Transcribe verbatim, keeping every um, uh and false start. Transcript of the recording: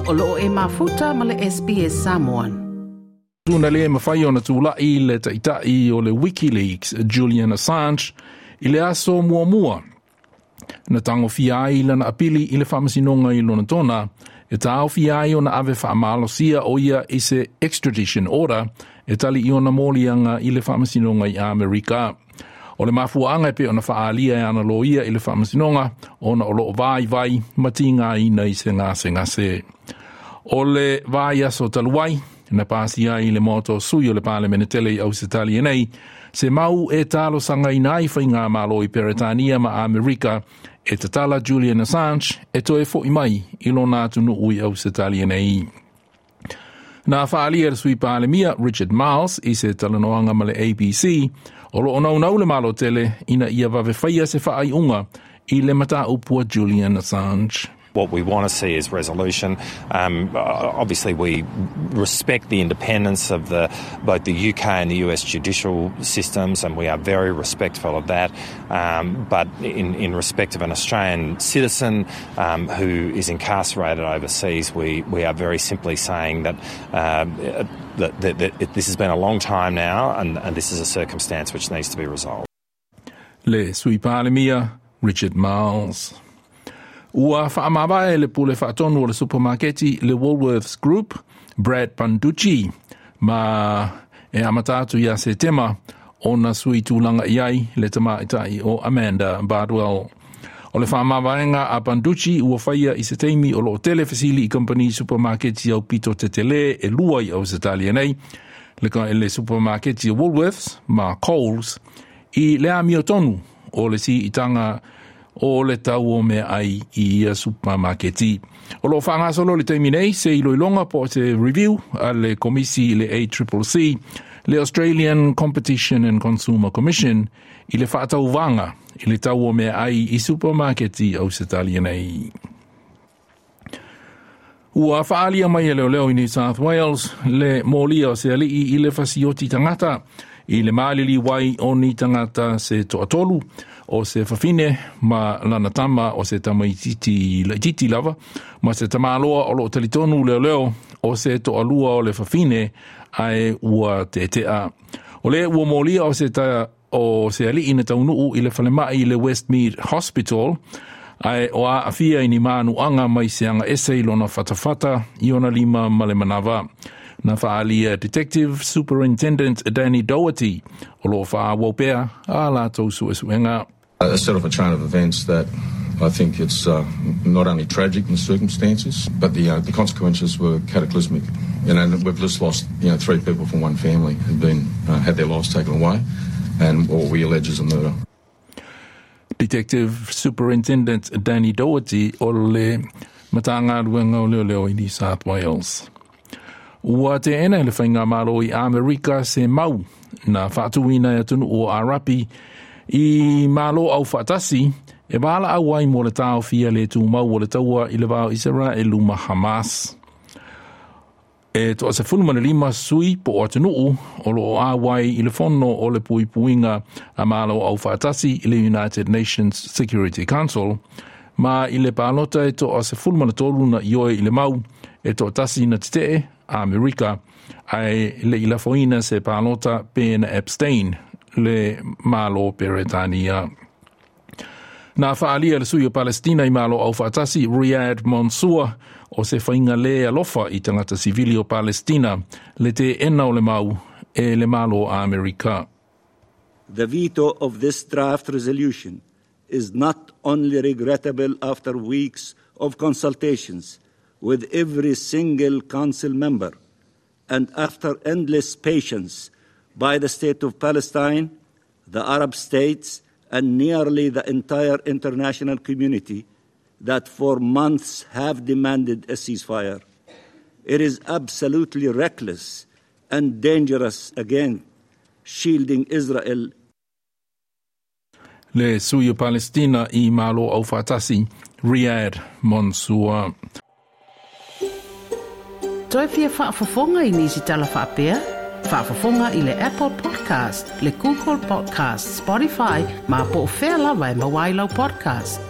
O loo e mafuta ma le S B S Samoan. Tuna le mawhai o na tūlai le taitai o le WikiLeaks Julian Assange i le aso muamua. Na tango fia ai lana apili i le whamasinonga i lona tona, e tāo fia ai o na ave whaamalosia o ia i se extradition order e tali i ona molianga i le whamasinonga i Amerika. O le mafuanga e pe o na whaalia e ana loia i le whamasinonga o na o loo vai vai matinga ina i se ngase ngase. O le vai aso taluai, na pasi ai le moto sui o le Parliament tele i Ausitalia nei, se mau e talo sanga inai whai ngā malo i Peretania ma Amerika, e tatala Julian Assange e toe fo i mai i lona atu nuu i Ausitalia nei. Nā whaalia le sui Palemia Richard Marles i se talanoanga ma le A B C, o lo onau nau le malo tele ina ia vave whaia se whaai unga i le mata upua Julian Assange. What we want to see is resolution. Um, obviously, we respect the independence of the, both the U K and the U S judicial systems, and we are very respectful of that. Um, but in, in respect of an Australian citizen um, who is incarcerated overseas, we, we are very simply saying that, um, that, that, that this has been a long time now, and, and this is a circumstance which needs to be resolved. Le sui Palemia, Richard Marles. Ua whaamawae le pule whaatonu o le supermarketi le Woolworths Group, Brad Banducci, ma e amatatu ia se tema o na sui tūlanga iai le tamaitai o Amanda Bardwell. O le whaamawaenga a Banducci ua whaia i se teimi o lo tele fasili i company supermarketi au pito te tele e lua i au se nei, le, ka, le supermarketi o Woolworths ma Coles i le amio tonu o le si itanga o le tau o mea ai i ia supermarketi. O lo whangasolo le teimi nei, se iloilonga po te review a le komisi le A C C C, le Australian Competition and Consumer Commission, i le whaatauwanga i le tau o mea ai i supermarketi au se talia nei. Ua whaalia mai e leo leo i New South Wales, le mōlia o se alii i le fasioti tangata, i le maalili wai o ni tangata se toatolu, o se whawhine ma lana tama o se tamaititi laititi lava, ma se tamaloa o lo talitonu leo leo o se toalua o le whawhine ae ua tetea. O le ua mōlia o se, ta, o se alii na taunuu i le whalemai i le Westmead Hospital, ae o a afia i ni maanu anga mai se anga ese i lona whatawhata i ona lima ma le manawa. Na whaalia Detective Superintendent Danny Doherty o lo wha wopea a lātou suesuenga. A set of a chain of events that I think it's uh, not only tragic in the circumstances, but the uh, the consequences were cataclysmic. You know, we've just lost you know three people from one family who've been uh, had their lives taken away, and what we allege is a murder. Detective Superintendent Danny Doherty o le matanga ruenga o leo leo i New South Wales. Ua te ena le whainga malo i Amerika se mau na whaatuina e atunu o Arapi i malo au whaatasi e wala au ai mo le tau fia le tū mau o le taua i le vao Israelu ma Hamas. E toa se fulu mana lima sui po o atunuu o lo o awai i le fono o le puipuinga a malo au whaatasi i le United Nations Security Council ma i le pālota e toa se fulu mana tolu na ioe i le mau e toa tasi na titee Amerika ai le ilafoina se pālota Ben Epstein le malo Peretania. Nā whaalia le sui o Palestina i malo au whaatasi Riyad Mansour o se whainga le alofa i tangata sivili o Palestina le te ena o le mau e le malo Amerika. The veto of this draft resolution is not only regrettable after weeks of consultations with every single council member and after endless patience by the state of Palestine, the Arab states, and nearly the entire international community that for months have demanded a ceasefire. It is absolutely reckless and dangerous again, shielding Israel. Le sui o Palestina i malo au whaatasi, Riyad Mansour. Toi fia whaafafonga i nisi tala whaapea? Whaafafonga i le Apple Podcast, le Google Podcast, Spotify, ma po o whea lawa e mawailau podcast.